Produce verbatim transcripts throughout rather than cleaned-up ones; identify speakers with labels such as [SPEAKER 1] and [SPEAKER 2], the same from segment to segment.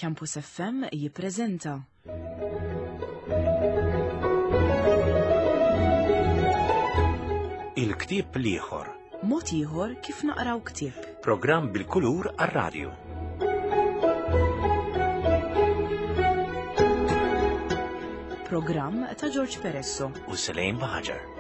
[SPEAKER 1] Campus F M jippreżenta
[SPEAKER 2] Il-ktieb l-ieħor.
[SPEAKER 1] Mod ieħor kif naqraw ktieb.
[SPEAKER 2] Programm bil-kulur għar-radju.
[SPEAKER 1] Programm ta' George Peresso
[SPEAKER 2] u Selaine Baħaġar.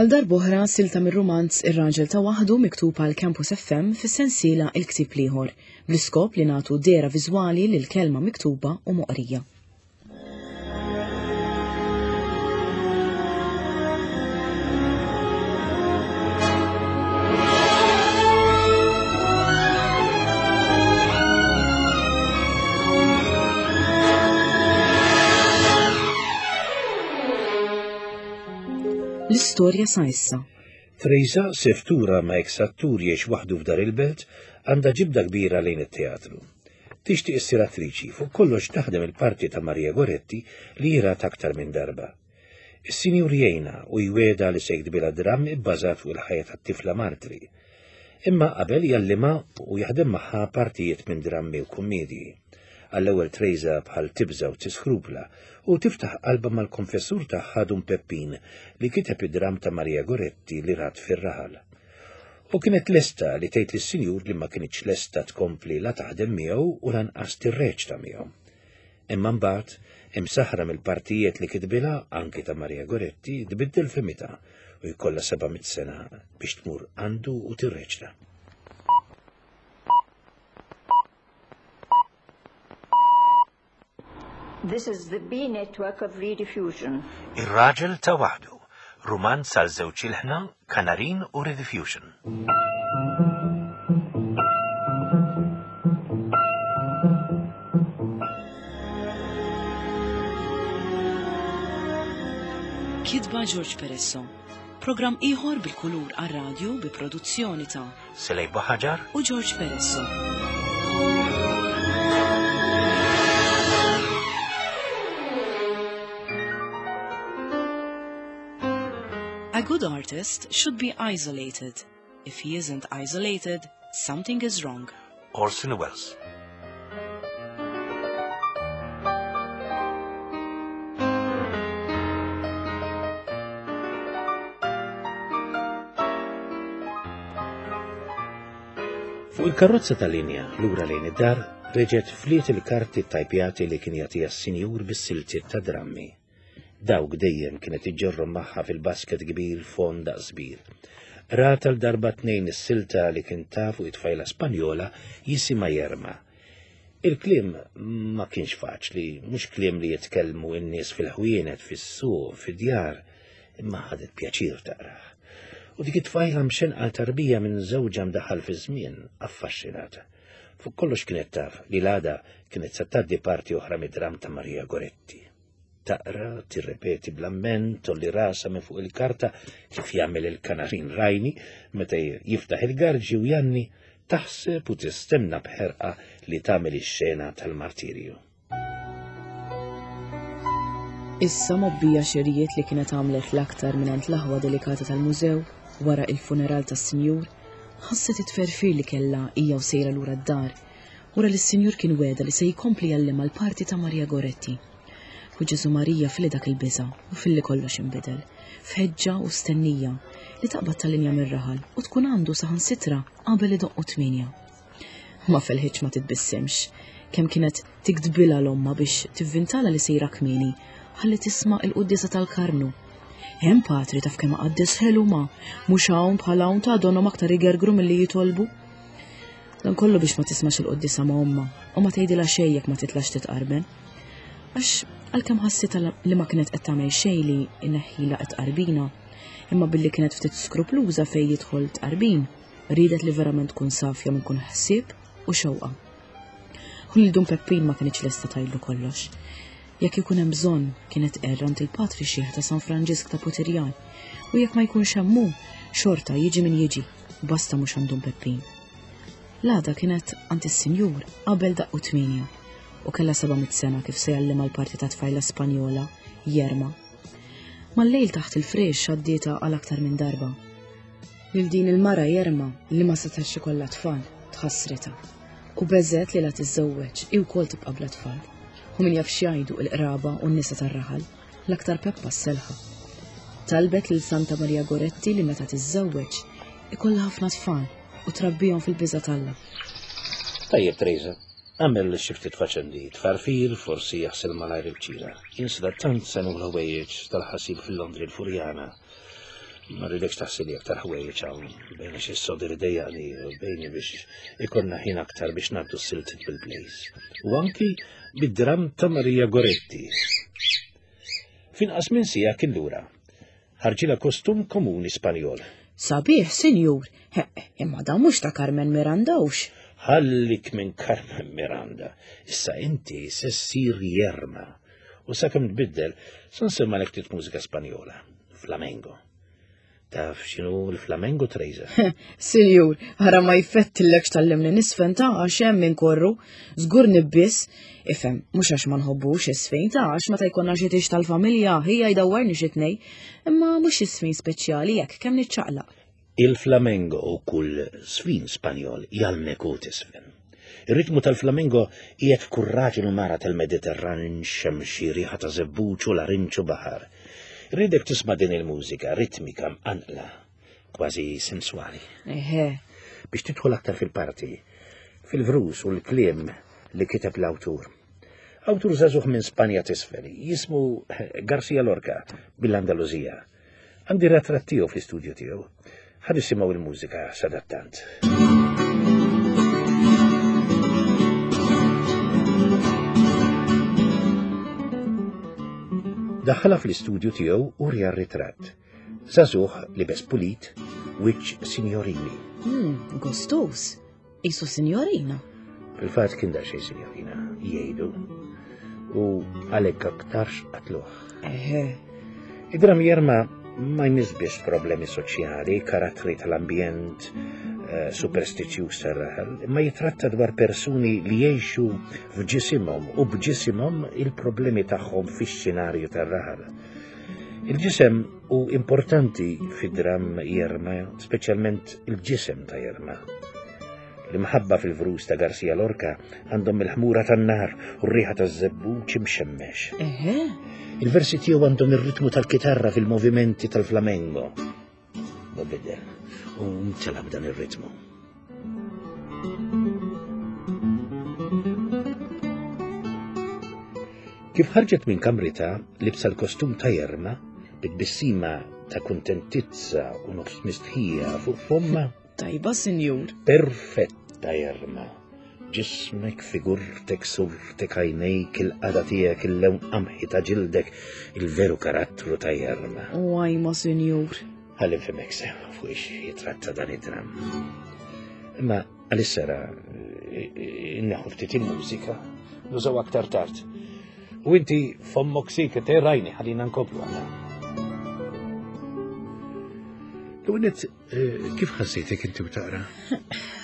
[SPEAKER 1] Għal darb'oħra silta mir-rumanz Ir-Raġel ta' Waħdu miktub għal Campus F M fis-sensiela Il-Ktieb l-Ieħor, bl-iskop li nagħtu dehra viżwali lil kelma miktuba u moqrija. L-istorja sa issa.
[SPEAKER 2] Teresa, seftura ma' eksattur jiex waħdu f'dar il-belt, għandha ġibda kbira lejn it-teatru. Tixtieq issir attriċi, fuq kollox taħdem il-parti ta' Maria Goretti li jirat aktar minn darba. Is-sinjur jgħinha u jweda li se jiktbilha dramm ibbażat fuq il-ħajja tat-tifla Martri. Imma qabel jallima u jaħdem magħha partijiet minn drammi u kummedji. Għall-ewwel Teresa bħal tibża u tiskrupla u tiftaħ qalbha mal-konfessur tagħha Dun Peppin li kiteb id-dramm ta' Maria Goretti li rat fir-raħal. U kienet lesta li tgħid lis-sinjur li ma kinitx lesta tkompli la taħdem miegħu u lanqas tirreċta miegħu. Imma mbagħad, imsaħra mill-partijiet li kitbilha anki ta' Maria Goretti, tbiddel fehmitha u jkollha seba' mitt sena biex tmur għandu u tirreċta.
[SPEAKER 3] This is the B network of Rediffusion.
[SPEAKER 2] Ir-Raġel ta' Waħdu, rumanz għal żewġ ilħna, Kanarin u Rediffusion.
[SPEAKER 1] Kitba George Peresso. Programm ieħor bil-kulur għar-radju bi produzzjoni ta'
[SPEAKER 2] Selej Baħaġar
[SPEAKER 1] u George Peresso. A good artist should be isolated. If he isn't isolated, something is wrong.
[SPEAKER 2] Orson Welles. Fuq il-karozza tal-linja lura lejn id-dar, reġgħet fliet il-karti tajpjati li kien jagħtiha s-sinjur bis-siltiet ta' drammi. Dawk dejjem kienet iġġorrhom magħha fil-basket kbir fond daqs kbir. Rata l-darba tnejn is-silta li kien taf fuq it-tfajla Spanjola jisimha Jerma. Il-kliem ma kienx faċli, mhux kliem li jitkellmu n-nies fil-ħwienet, fis-suq, fid-djar, imma ħadet pjaċir taqrah. U dik it-tfajla mxenqa tarbija minn żewġha mdaħħal fi żmien, affaxxinata. Fuq kollox kienet taf li l-għada kienet se tgħaddi parti oħra mid-dramm ta' Maria Goretti. Taqra, tirrepeti bl-amment, tolli rasa minn fuq il-karta kif jagħmel il-kanarin rajni meta jiftaħ il-garġi u janni, taħseb u tistenna b'ħerqa li tagħmel ix-xena tal-martirju.
[SPEAKER 1] Issa mobbija xerijiet li kienet għamlet l-aktar mingħand l-aħwa delikata tal-mużew wara il-funeral tas-sinjur, ħasset it-tferfir li kellha hija u sejra lura d-dar, wara li s-sinjur kien weda li se jkompli jgħallimha l-parti ta' Maria Goretti. U Ġesu Marija fili dak il-biża' u filli kollox inbidel, f'ħeġġa u stennija li taqbad tal-linja mir-raħal u tkun għandu saħansitra qabel idoqqu tmienja. Ma felħitx ma titbissimx, kemm kienet tiktbilha l-omma biex tivvintala li sejra kmieni ħalli tisma' il-quddiesa tal-Karmnu. Hemm patri taf kemm qaddes ħelu ma, mhux hawn bħal hawn ta' donhom aktar igergru milli jitolbu. Dan kollu biex ma tismax il-quddiesa ma' omma u ma tgħidilha xejn jekk ma titlax titqarben. Għax għalkemm ħassitha li ma kienet qed tagħmel xejn li inneħħilha qed tqarbina, imma billi kienet ftit skrupluża fejn jidħol tqarbin, riedet li verament tkun safja minn kun ħsieb u xewqa. U lil Dun Peppin ma kienx lesta tgħidlu kollox. Jekk ikun hemm bżonn, kienet tqerr għand il-patri xieħ ta' San Franġisk ta' Putirjan, u jekk ma jkunx hemm hu, xorta jiġi min jiġi, basta mhux għand Dun Peppin. L-għada kienet għand is-sinjur qabel daqqu tmienja u kellha seba' mitt sena kif se jgħallimha l-parti ta' tfajla Spanjola, Jerma. Mal-lejl taħt il-frex għaddietha għal aktar minn darba. Lil din il-mara Jerma li ma setax ikollha tfal, tħassritha. U beżgħet li la tiżżewweġ hi wkoll tibqa' bla tfal. U min jaf x'jgħidu l-qraba u n-nisa tar-raħal, l-aktar Peppa s-selħa. Talbet lil Santa Maria Goretti li meta tiżżewweġ ikollha ħafna tfal u trabbihom fil-biża' t'Alla.
[SPEAKER 2] Tajjeb, Teresa, għamel xi ftit faċendi, tfarfir, forsi jaħsel malajr il-ċira. Jien sadattant se nieħu l-ħwejjeġ tal-ħasil fil-Londri l-Furjana. Ma rridekx taħsili aktar ħwejjeġ hawn, bejn xi sodir idejjaqni u bejni biex ikollna ħin aktar biex ngħaddu s-siltiet bil-plays. U anki bid-dram ta' Maria Goretti. F'inqas minn siegħa kien lura. Ħarġilha kostum komuni Spanjol.
[SPEAKER 1] Sabiħ, sinjur, imma dan mhux ta' Carmen Miranda hux.
[SPEAKER 2] Ħallik minn Carmen Miranda. Issa inti se ssir Jerma. U sakemm tbiddel, se nsemma' ftit mużika Spanjola, flamengo. Taf x'inhu l-flamengo, Teresa?
[SPEAKER 1] Sinjur, ħara ma jfettillekx tgħallimni niżfen ta' għax hemm inkorru, żgur nibbies, ifhem, mhux għax ma nħobbux iż-żfin ta' għax meta jkollna xi tieġ tal-familja ħija jdawwarni xi tnej, imma mhux iż-żfin speċjali jekk kemm niċċaqlaq.
[SPEAKER 2] Il-flamengo u kull żfin Spanjol jgħallmek u tiżfen. Ir-ritmu tal-flamengo qiegħed f'kull raġel u mara tal-Mediterran xemxi riħa ta' żebbuġ u larinġ u baħar. Rridek tisma' din il-mużika ritmika mqanqla, kważi sensuali.
[SPEAKER 1] Eħe.
[SPEAKER 2] Biex tidħol aktar fil-parti, fil-vrus u l-kliem li kiteb l-awtur. Awtur żagħżugħ minn Spanja t'isfel, jismu Garcia Lorca bil-Andaluzija. Għandi ritratt tiegħu fl-istudju tiegħu. Ħa nisimgħu il-mużika sadattant. Daħħalha fl-istudju tiegħu u wriha r-ritratt. Żagħżugħ libes pulit, wiċċ signorili.
[SPEAKER 1] Hmm, gostus. Isu signorina.
[SPEAKER 2] Fil-fatt kien daqsxejn signorina, jgħidu. U għalhekk aktarx qatluh.
[SPEAKER 1] Eħe.
[SPEAKER 2] Id-dram Jerma ma jmiss biss problemi soċjali, karattri tal-ambjent, eh, superstizzjuż tar-raħal, imma jitratta dwar persuni li jgħixu f'ġisimhom u b'ġisimhom il-problemi tagħhom fix-xenarju tar-raħal. Il-ġisem hu importanti fid-dram Jerma, speċjalment il-ġisem ta' Jerma. L-imħabba fil-vrus ta' Garcia Lorca għandhom il-ħmura tan-nar u r-riħa taż-żebbuġ imxemmex.
[SPEAKER 1] Eħe.
[SPEAKER 2] Il-versi tiegħu għandhom ir-ritmu tal-kitarra fil-movimenti tal-flamengo. U bidel, u mtela b'dan ir-ritmu. Kif ħarġet minn kamrita, libsa l-kostum ta' Jerma, bit-tbissima ta' kuntentizza u nofs mistħija fuq fomma.
[SPEAKER 1] Tajba, sinjur.
[SPEAKER 2] Perfetta, Jerma. Ġismek, figurtek, surtek, għajnejk, il-qagħda tiegħek, il-lewn qamħi ta' ġildek, il-veru karattru ta' Jerma.
[SPEAKER 1] U għajma, sinjur.
[SPEAKER 2] Ħalli nfehmek sew fuq ix jitratta dan id-dram. Imma għalissa inneħu ftit il-mużika, nużaw aktar tard. U inti fommok siket, rajni, ħallina nkomplu għana. L-għunet, kif ħassejtek inti u taqra?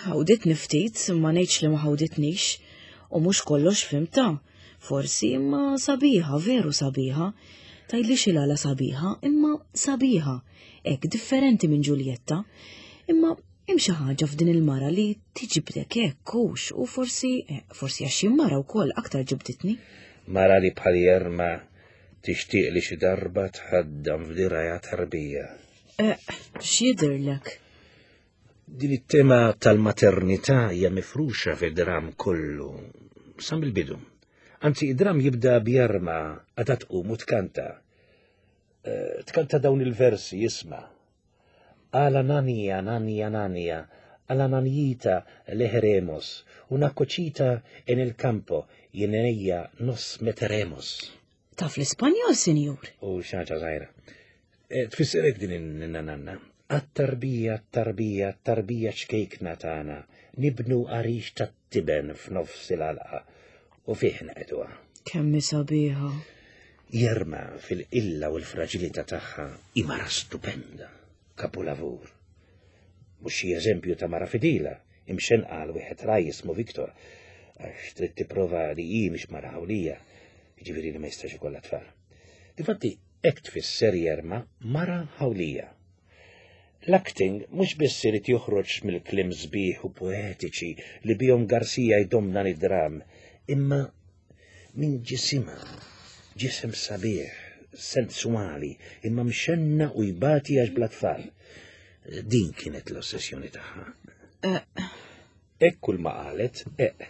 [SPEAKER 1] Ħawditni ftit, ma ngħidx li ma ħawditnix, u mhux kollox fhimtha. Forsi imma sabiħa, veru sabiħa. Tgħidli x'il-għala sabiħa, imma sabiħa. Hekk differenti minn Giulietta. Imma hemm xi ħaġa f'din il-mara li tiġibdek hekk hux, u forsi, eh, forsi għax jien mara wkoll aktar ġibditni.
[SPEAKER 2] Mara li bħal Jerma tixtieq li xi darba tħaddam f'dirgħajha tarbija.
[SPEAKER 1] Eh, x'jidhirlek?
[SPEAKER 2] Din it-tema tal-maternità hija mifruxa fid-dram kollu, sa mill-bidu. Anzi, id-dram jibda b'Jerma għadha tqum u tkanta. Eh, tkanta dawn il-versi, jisma'. A la nania, nania, nania, a la nanita le haremos, una cosita en el campo, y en ella nos meteremos.
[SPEAKER 1] Taf l-Ispanjol, sinjur?
[SPEAKER 2] U xi ħaġa żgħira. Eh, Tfisserek din in-nanna. Għat-tarbija, tarbija, tarbija ċkejkna tagħna, nibnu għarix tat-tiben f'nofs il-għalqa u fih nqegħduha.
[SPEAKER 1] Kemm sabiħa.
[SPEAKER 2] Jerma fil-qilla u l-fraġilità tagħha hi mara stupenda, kapulavur. Mhux xi eżempju ta' mara fidila, imxenqa għal wieħed raj jismu Viktor, għax trid tipprova li hi mhix mara ħawlija, jiġifieri li ma jistax ikollha tfal. Difatti, Hekk tfisser Jerma mara ħawlija. L-acting mhux biss irid joħroġ mill-kliem sbieħ u poetiċi li bihom Garcia jdomm dan id-dram, imma minn ġisimha, ġisem sabiħ, sensuali, imma mxenna u jbati għax bla tfal. Din kienet l-ossessjoni tagħha. Hekk kull ma qalet, eq.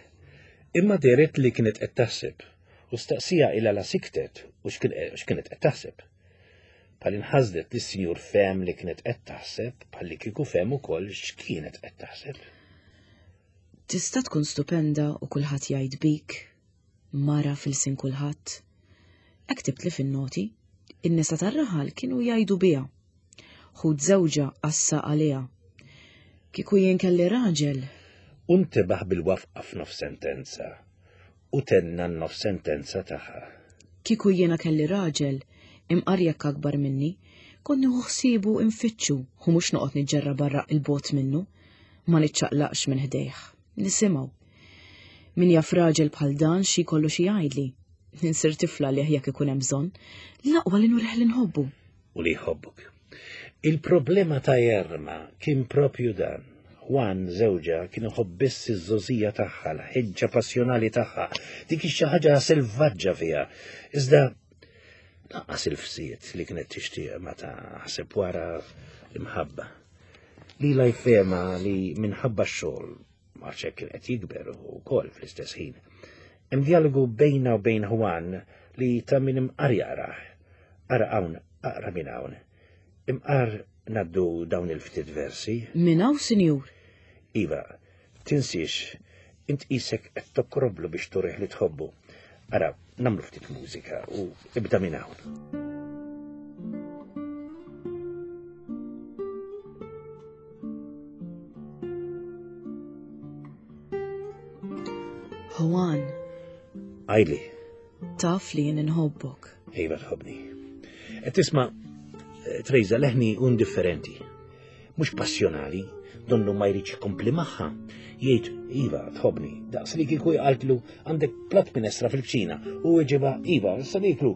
[SPEAKER 2] Imma dehret li kienet qed taħseb u staqsija ila la siktet u x'kienet qed taħseb. Bħal inħasdet li s-sinjur fehem li kienet qed taħseb, bħal li kieku fehem ukoll x'kienet qed taħseb.
[SPEAKER 1] Tista' tkun stupenda u kulħadd jgħid bik, mara fil-sin kulħadd. Hekk ktibtli fin-noti, in-nisa tar-raħal kienu jgħidu biha. Ħud żewġha qassa għaliha. Kieku jien kelli raġel.
[SPEAKER 2] U ntebaħ bil-wafqa f'nof sentenza u tenna n-nof sentenza tagħha.
[SPEAKER 1] Kieku jiena kelli raġel, imqar jekk akbar minni, kont nieħu ħsiebu infittxu u mhux noqgħod niġġerra barra il-bot minnu, ma niċċaqlaqx minn ħdejh. Nisimgħu. Min jaf raġel bħal dan xi jkollu xi jgħidli. Ninsir tifla li jekk ikun hemm bżonn, l-aqwa li nurih li nħobbu.
[SPEAKER 2] U li jħobbuk. Il-problema ta' Jerma kien propju dan. Juan żewġha kien iħobb biss iż-żożija tagħha, l-ħeġġa passjonali tagħha, dik xi ħaġa selvaġġa fiha. Iżda lanqas il-fsiet li kienet tixtieq meta ħseb wara l-imħabba. Lila jfehma li minħabba x-xogħol, għax hekk kien qed jikber ukoll fl-istess ħin. Hemm dialogu bejna u bejn Juan li ta' min imqar jaqrah. Ara hawn, aqra minn hawn. Imqar naddu dawn il-ftit versi.
[SPEAKER 1] Minn hawn, sinjur?
[SPEAKER 2] Iva, tinsiex, int qisek qed tokroblu biex turih li tħobbu. Ara, nagħmlu ftit mużika u ibda minn hawn.
[SPEAKER 1] Juan.
[SPEAKER 2] Għajli.
[SPEAKER 1] Taf li jien inħobbok.
[SPEAKER 2] Iva tħobbni. Qed tisma' Trejza leħni indifferenti. Mhux passjonali, donnu ma jridx ikompli magħha. Jgħid iva tħobbni, daqs li kieku qaltlu għandek platt minestra fil-kċina u weġiba iva issa nieklu.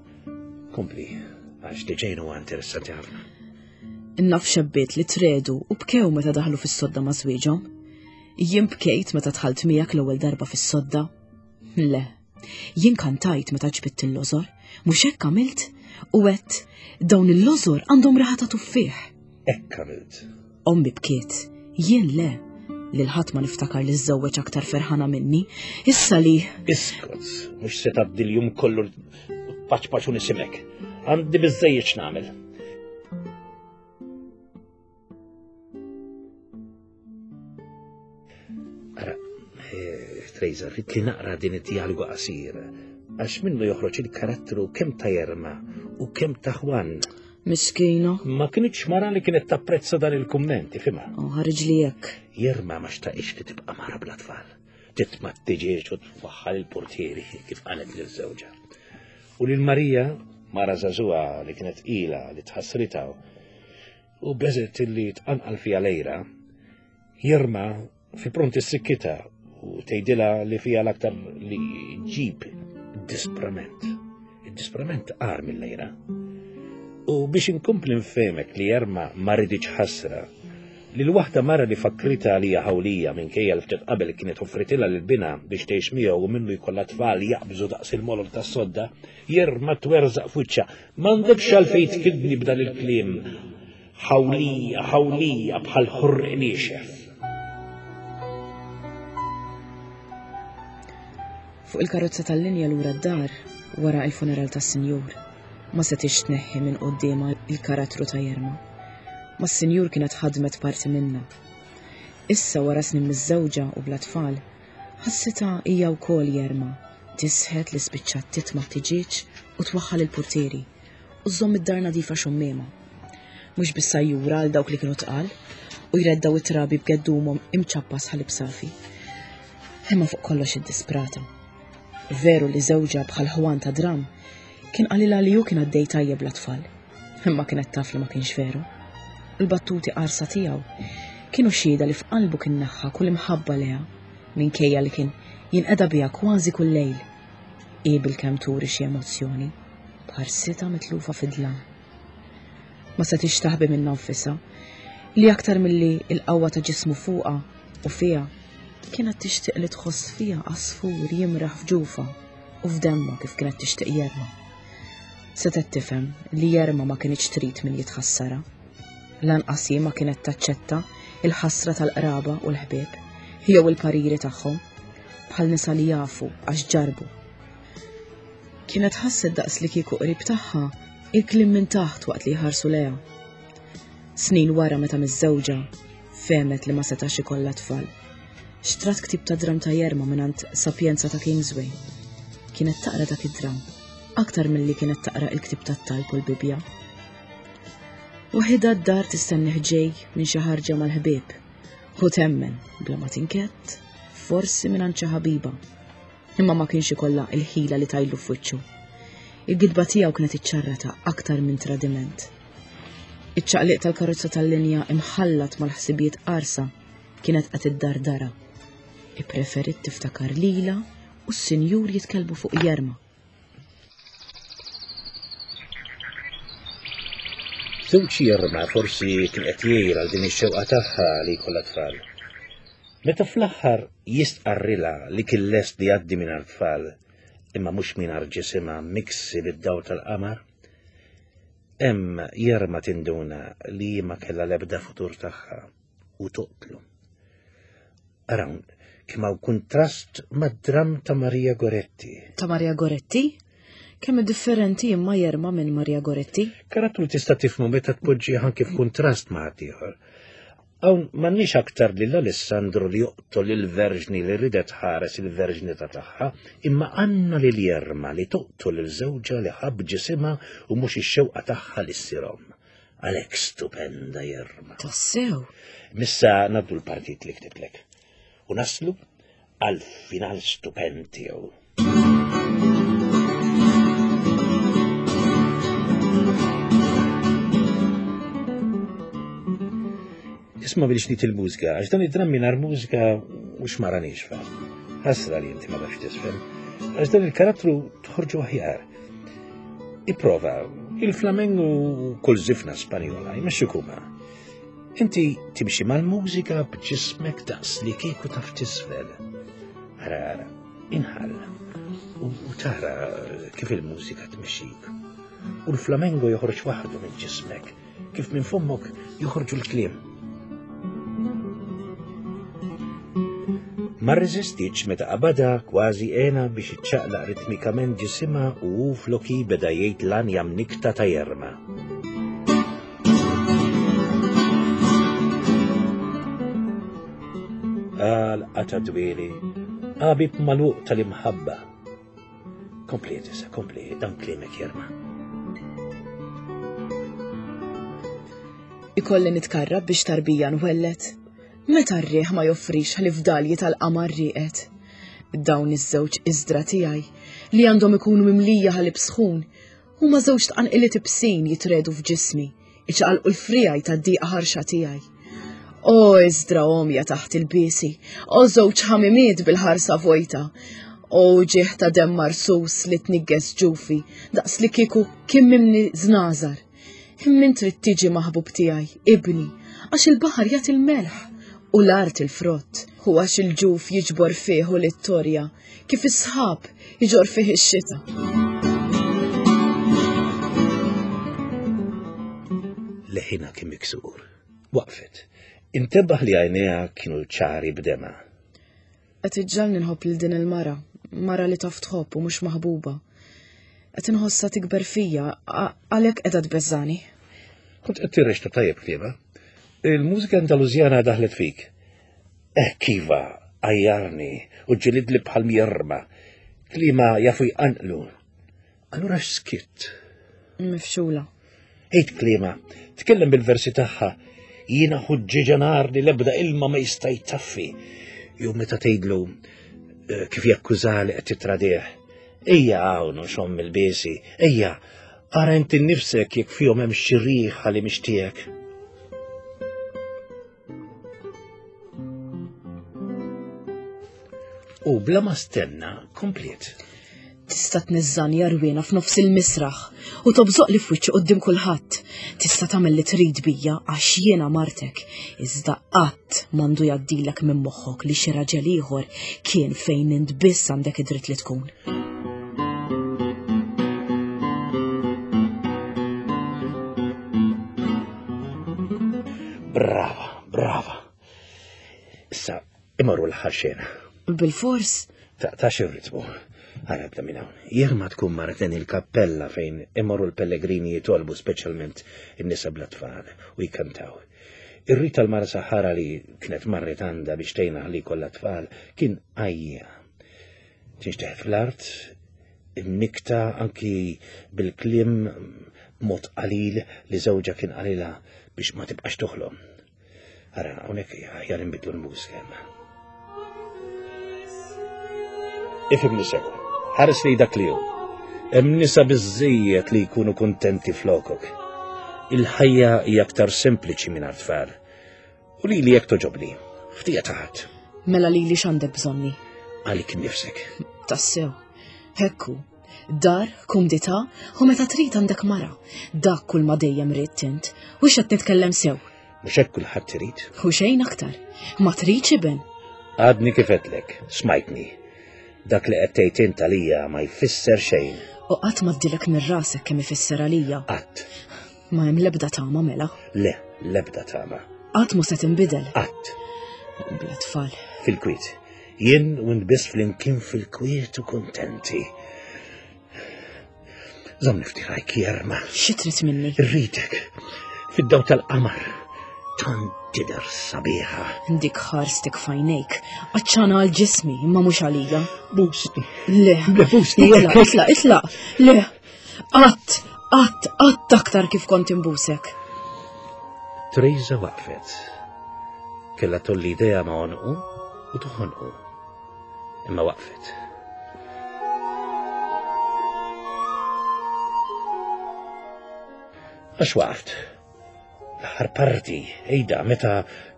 [SPEAKER 2] Kompli, għax li ġejn huwa interessanti ħafna.
[SPEAKER 1] Naf xebbiet li tredu u bkew meta daħlu fis-sodda ma' żwieġhom. Jien bkejt meta dħalt miegħek l-ewwel darba fis-sodda. Le, jien kantajt meta ġbidt il-lożor, mhux hekk għamilt, u għedt dawn il-lożor għandhom raħa ta' tuffieħ.
[SPEAKER 2] Hekk għamilt.
[SPEAKER 1] Ommi bkiet, jien le, lil ħadd ma niftakar li żżewweġ aktar ferħana minni, issa li.
[SPEAKER 2] Iskot, mhux se tgħaddi l-jum kollu paċ paċ u nisimek. Għandi biżżejjed x'nagħmel. Ara, Trejza, rrid li naqra din id-dialogu qasir, għax minnu joħroġ il-karattru kemm ta' Jerma u kemm ta' Juan.
[SPEAKER 1] Miskina.
[SPEAKER 2] Ma kinitx mara li kienet tapprezza dan il-kummenti, fimha.
[SPEAKER 1] Oh, ħareġ li hekk.
[SPEAKER 2] Jerma ma xtaqix li tibqa' mara bla tfal. Titma' t-tiġieġ u twaħħal il-portieri kif qalet lil żewġha. U lil Marija, mara żagħżugħa li kienet ila li tħassritha u beżet li tqanqal fiha lejra, Jerma fi pront is-sikkita u tgħidilha li fiha l-aktar li ġib disprament. Id-disprament qar mill-lejra. U biex inkompli nfehmek li Jerma ma riditx ħasra, li l-waħda mara li fakkrita għalija ħawlija minkejja li ftit qabel kienet offritilha lil binha biex tgħix miegħu u minnu jkollha tfal jaqbżu daqs il-molol tas-sodda, Jerma twerżaq f'wiċċha. M'għandekx għalfejn tkidni b'dan il-kliem. Ħawlija, ħawlija bħal ħurq niexef.
[SPEAKER 1] Fuq il-karozza tal-linja lura d-dar, wara il-funeral tas-sinjur, ma setix tneħħi minn quddiemha il-karattru ta' Jerma. Ma s-sinjur kienet ħadmet parti minna. Issa wara snin miż-żewġa u bla tfal, ħassitha hija wkoll Jerma, tisħet li spiċċat titma' t-tiġieġ u twaħħal il-portieri u żżomm id-dar nadifa xummiema. Mhux biss sajjura għal dawk li kienu tqal u jreddaw it-trabi b'geddumhom imċappas ħalib safi. Imma fuq kollox iddisprata. Veru li żewġha bħal Juan ta' dram kien qalilha li hu kien għaddej tajjeb bla tfal, imma kienet taf li ma kienx veru. Il-battuti qarsa tiegħu kienu xhieda li f'qalbu kien neħħa kull imħabba leha minkejja li kien jinqeda biha kważi kull lejl. Hi bilkemm turi xi emozzjoni, bħarsitha mitlufa fid-dlam. Ma setgħetx taħbi minnha nfisha li aktar milli l-qawwa ta' ġismu fuqha u fiha kienet tixtieq li tħoss fiha għasfur jimraħ f'ġufha u f'demma kif kienet tixtieq Jerma. Setgħet tifhem li Jerma ma kinitx trid min jitħassarha. Lanqas hi ma kienet taċċetta il-ħasra tal-qraba u l-ħbieb jew il-pariri tagħhom bħal nisa li jafu għax ġarbu. Kienet ħasset daqs li kieku qrib tagħha il-kliem minn taħt waqt li jħarsu lejha. Snin wara meta miżżewġa fehmet li ma setax ikollha tfal. Xtrat ktib ta' dram ta' Jerma mingħand Sapienza ta' Kingsway. Kienet taqra dak id-dram aktar milli kienet taqra il-ktib tat-talb u l-Bibja. Waħidha d-dar tistennih ġej minn xi ħarġa mal-ħbieb. Hu temmen bla ma tinkett, forsi mingħand xi ħabiba. Imma ma kienx ikollha il-ħila li tajlu f'wiċċu. Il-gidba tiegħu kienet iċċarrata aktar minn tradiment. Iċ-ċaqliq tal-karozza tal-linja imħallat mal-ħsibijiet qarsa kienet qed iddardara. Ippreferit tiftakar lila u s-sinjur jitkellmu fuq Jerma.
[SPEAKER 2] Żewġ Jerma forsi kien qed jgħir għal din ix-xewqa tagħha li jkollha tfal. Meta fl-aħħar jistqarrilha li kien lest li jgħaddi mingħajr tfal, imma mhux mingħajr ġisimha miksi bid-dawl tal-qamar, hemm Jerma tinduna li ma kellha l-ebda futur tagħha u toqtlu. Arawn, kemm hawn kuntrast mad-dram ta' Maria Goretti.
[SPEAKER 1] Ta' Maria Goretti? Kemm differenti imma Jerma minn Maria Goretti?
[SPEAKER 2] Karattru tista' tifhmu meta tpoġġi anke f'kuntrast ma' ħaddieħor. Hawn m'għandniex aktar lil Alessandro li joqtol il-verġni li ridet ħares il-verġnità tagħha, imma għandna lil Jerma li toqtol il-żewġa li ħabb ġisimha u mhux ix-xewqa tagħha li ssir omm. Għalhekk stupenda Jerma.
[SPEAKER 1] Tassew.
[SPEAKER 2] Missa ngħaddu l-partit li ktiblek. U naslu għal final stupend tiegħu. Isma' biex nit il-mużika, għax dan id-dram mingħajr mużika u xmara nixfa. Ħasra li inti ma tafx tisfel, għax dan il-karattru toħorġu aħjar. Ipprova, il-flamengo kull żifna Spanjola, jmexxi kuma. Inti timxi mal-mużika b'ġismek daqs li kieku taf tisfel. Ara, ara, inħall u u tara kif il-mużika tmexxik. U l-flamengo joħroġ waħdu minn ġismek, kif minn fommok joħorġu l-kliem. Ma rreżistitx meta qabadha kważi għena biex iċċaqlaq ritmikament ġisimha u hu floki beda jgħid l-anja mnikta ta' Jerma. Għal qata dwieli, għabib magħluq tal-imħabba. Kompli issa, kompli, dan kliemek Jerma.
[SPEAKER 1] Ikolli nitkarrab biex tarbija nwellet. Meta r-riħ ma joffrix ħlief dalji tal-qamar rieqed. Dawn iż-żewġ iżdra tiegħi li għandhom ikunu mimlija ħalib sħun huma żewġ tqanqiliet ibsin jitredu f'ġismi, iċaqalqu l-frijaj tad-diqa ħarxa tiegħi. O iżdra omja taħt il-biesi, o żewġ ħamimiet bil-ħarsa vojta, o ġieħ ta' demm marsus li tniggeż ġufi daqs li kieku kien mimli żnażar. Imma trid tiġi maħbub tiegħi, ibni, għax il-baħar jagħti l-melħ u l-art il-frott, u għax il-ġuf jiġbor fih u l-ittorja, kif is-sħab iġor fih ix-xita.
[SPEAKER 2] Leħina kien miksur. Waqfet. Intebaħ li għajnejha kienu ċari b'dema.
[SPEAKER 1] Qed iġġalni nħobb lil din il-mara, mara li taf tħobb u mhux maħbuba. Qed inħossha tikber fija, għalhekk qiegħda tbeżżani.
[SPEAKER 2] Kont qed tirrexta tajjeb kliema. Il-mużika Andalużjana daħlet fik. Hekk iva, għajjarni u ġilidli bħal Jerma. Klima jafu jqanqlu. Allura x'skitt?
[SPEAKER 1] Mifxula.
[SPEAKER 2] Ejt kliema, tkellem bil-versi tagħha. Jiena ħuġġieġa nar li l-ebda ilma ma jista' jtaffi. Jew meta tgħidlu eh, kif jakkuża li qed titradih. Ejja hawn u xomm il-biesi, ejja, ara inti nnifsek jekk fihom hemm xi riħa li mhix tiegħek. U bla ma stenna kompliet.
[SPEAKER 1] Tista' tniżżani għarwiena f'nofs il-misraħ u tobżoq li f'wiċċi quddiem kulħadd. Tista' tagħmel li trid bija għax jiena martek. Iżda qatt m'għandu jgħaddilek minn moħħok li xi raġel ieħor kien fejn int biss għandek id-dritt li tkun.
[SPEAKER 2] Brava, brava. Issa, imorru l-aħħar xena.
[SPEAKER 1] Bil-fors?
[SPEAKER 2] Taqtax ir-ritmu. Ara bda minn hawn. Jerma tkun marten il-kappella fejn imorru l-pellegrini jitolbu speċjalment in-nisa bla tfal u jkantaw. Ir-rit tal-mara Saħara li kienet marret għandha biex tgħinha li kollha tfal kien għajja. Tinxteħet fl-art, imnikta anki bil-kliem b'mod qalil li żewġha kien qalilha biex ma tibqax toħlom. Ara, hawnhekk aħjar inbidlu l-mużika. Ifhimni sew, ħares li dak li hu. Hemm nisa biżżejjed li jkunu kuntenti flokok. Il-ħajja hija aktar sempliċi minn tfal. U lili jekk toġobni, ftija taħat.
[SPEAKER 1] Mela lili x'għandek bżonni?
[SPEAKER 2] Għalik nifsek.
[SPEAKER 1] Tassew, hekku. Dar, kumdità, u meta trid għandek mara. Dak kull ma dejjem ridt int, u x'qed nitkellem sew.
[SPEAKER 2] Mhux hekk kulħadd irid.
[SPEAKER 1] U xejn aktar. Ma tridx iben.
[SPEAKER 2] Għadni kif għedtlek, smajtni. Dak li qed tgħid int għalija ma jfisser xejn.
[SPEAKER 1] U qatt ma ddilek minn rasek kemm ifisser għalija.
[SPEAKER 2] Qatt.
[SPEAKER 1] Ma hemm l-ebda tama mela.
[SPEAKER 2] Le, l-ebda tama.
[SPEAKER 1] Qatt mhu se tinbidel.
[SPEAKER 2] Qatt.
[SPEAKER 1] Bla tfal.
[SPEAKER 2] Fil-kwiet. Jien u int biss flimkien fil-kwiet u kuntenti. Żommni ftit rajk Jerma.
[SPEAKER 1] Xi trid minni?
[SPEAKER 2] Irridek. Fid-daw tal-qamar. Tant tidher sabiħa.
[SPEAKER 1] Dik ħarstek fajnejk. Għaċċana għal ġismi, imma mhux għalija.
[SPEAKER 2] Busni.
[SPEAKER 1] Le.
[SPEAKER 2] Le, busni.
[SPEAKER 1] Itlaq, itlaq, itlaq. Le. Qatt, qatt, qatt aktar kif kont imbusek.
[SPEAKER 2] Teresa waqfet. Kella tolli idea ma' għonqu u toħonqu. Imma waqfet. Għax waqft. L-aħħar parti, ejda, meta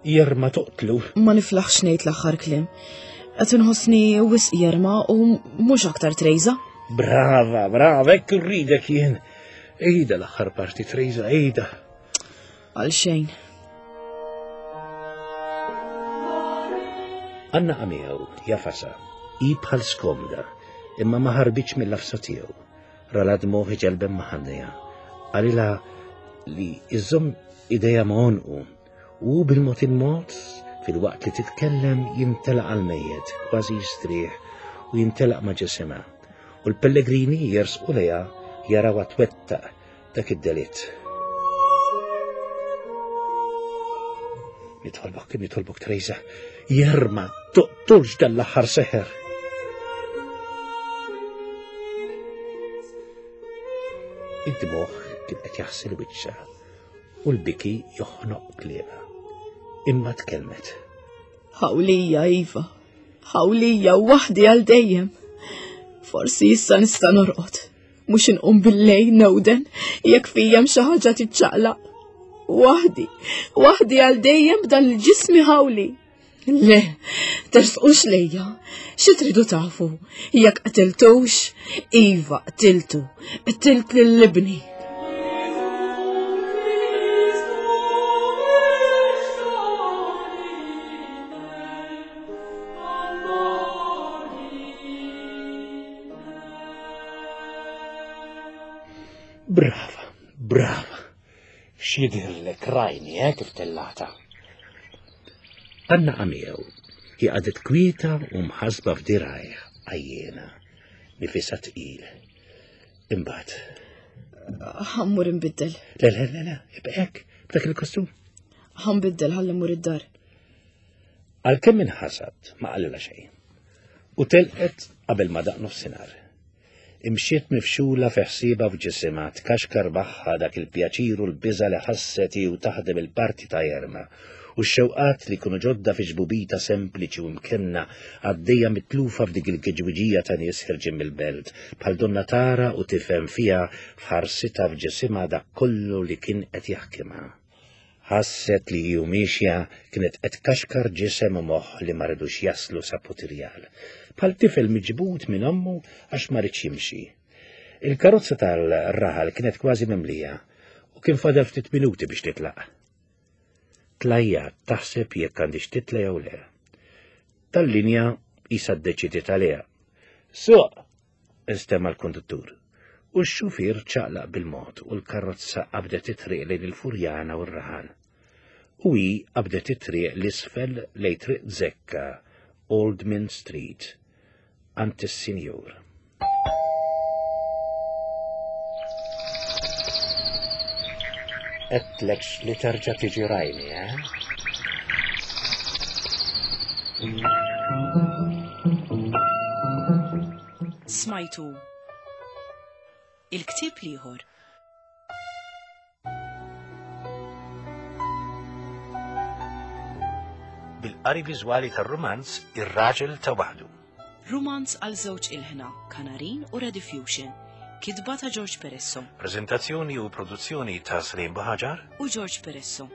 [SPEAKER 2] Jerma toqtlu.
[SPEAKER 1] Ma niflaħx ngħid l-aħħar kliem. Qed inħossni wisq Jerma u mhux aktar Teresa.
[SPEAKER 2] Brava, brava, hekk irridek jien. Ejda l-aħħar parti, Teresa, ejda.
[SPEAKER 1] Għal xejn.
[SPEAKER 2] Anna għamiegħu, jafasa, i bħal skomda, imma ma ħarbitx mill-lafsa tiegħu. Rala dmoħi ġelbem maħannija. Qalilha li iżomm idejha ma' għonqu u bil-mod il-mod fil-waqt li titkellem jintelaq għal-mejjet, kważi jistrieħ u jintelaq ma' ġisimha. U l-pellegrini jersqu lejha jarawha twettaq dak id-delitt. Nitolbok, nitolbok Teresa, Jerma, toqtolx dan l-aħħar seħer. Id-dmoħ kien qed jaħsel wiċċha u l-biki joħnoq kliemha. Imma tkellmet.
[SPEAKER 1] Ħawlija, Iva, ħawlija waħdi għal dejjem. Forsi issa nista' norqod, mhux inqum bil-lejl newden jekk fija hemm xi ħaġa tiċċaqlaq. Waħdi, waħdi għal dejjem b'dan il-ġismi ħawli. Le, tersqux lejja, xi tridu tafu, jekk qtiltux, Iva qtiltu, qtilt lil ibni.
[SPEAKER 2] Brava, brava. X'jidhirlek rajni, eh, kif tellata. Anna għamiegħu, hi qagħdet kwieta u mħasba f'dirajh, għajjena, nifisha tqil. Imbagħad.
[SPEAKER 1] Ħammur inbiddel.
[SPEAKER 2] Le, le, le, le, ibqa' hekk, b'dak il-kostum.
[SPEAKER 1] Ħanbiddel ħalli mmur id-dar.
[SPEAKER 2] Għalkemm inħasad ma qalilha xejn. U telqet qabel ma daq nofsinhar. Imxiet mifxula fi ħsiebha f'ġisimha, tkaxkar magħha dak il-pjaċir u l-biża' li ħasset hi u taħdem il-parti ta' Jerma, u x-xewqat li kienu ġodda fi ġbubita sempliċi u mkenna għaddejja mitlufa f'dik il-kiġwiġija ta' nies ħirġin mill-belt, bħal donna tara u tifhem fiha f'ħarsitha f'ġisimha dak kollu li kien qed jaħkimha. Ħasset li hi u miexja kienet qed tkaxkar ġisem u moħħ li ma ridux jaslu sa Putirjal, bħal tifel miġbud minn ommu għax ma ridx jimxi. Il-karozza tal-raħal kienet kważi mimlija u kien fadal ftit minuti biex titlaq. Tlajjat taħseb jekk għandix titla jew le. Tal-linja qisha ddeċidiet għaliha. Suq! Instema' l-konduttur. U x-xufier ċaqlaq bil-mod u l-karozza qabdet it-triq lejn il-Furjana u r-raħal. U hi qabdet it-triq l-isfel lejn Triq Zekka, Old Mint Street, għand is-Sinjur. Għedtlekx li terġa' tiġi rajni, eh?
[SPEAKER 1] Smajtu Il-ktieb l-ieħor.
[SPEAKER 2] Bil-qari viżwali tar-rumanz Ir-Raġel ta' Waħdu.
[SPEAKER 1] Rumanz għal żewġ ilħna, Kanarin u Rediffusion. Kitba ta' George Peresso
[SPEAKER 2] Prezentazzjoni u produzzjoni ta' Slim Buhaġar.
[SPEAKER 1] u George Peresso.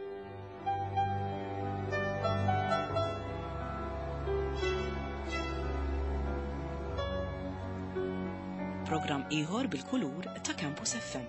[SPEAKER 1] Programm ieħor bil-kulur ta' Campus F M.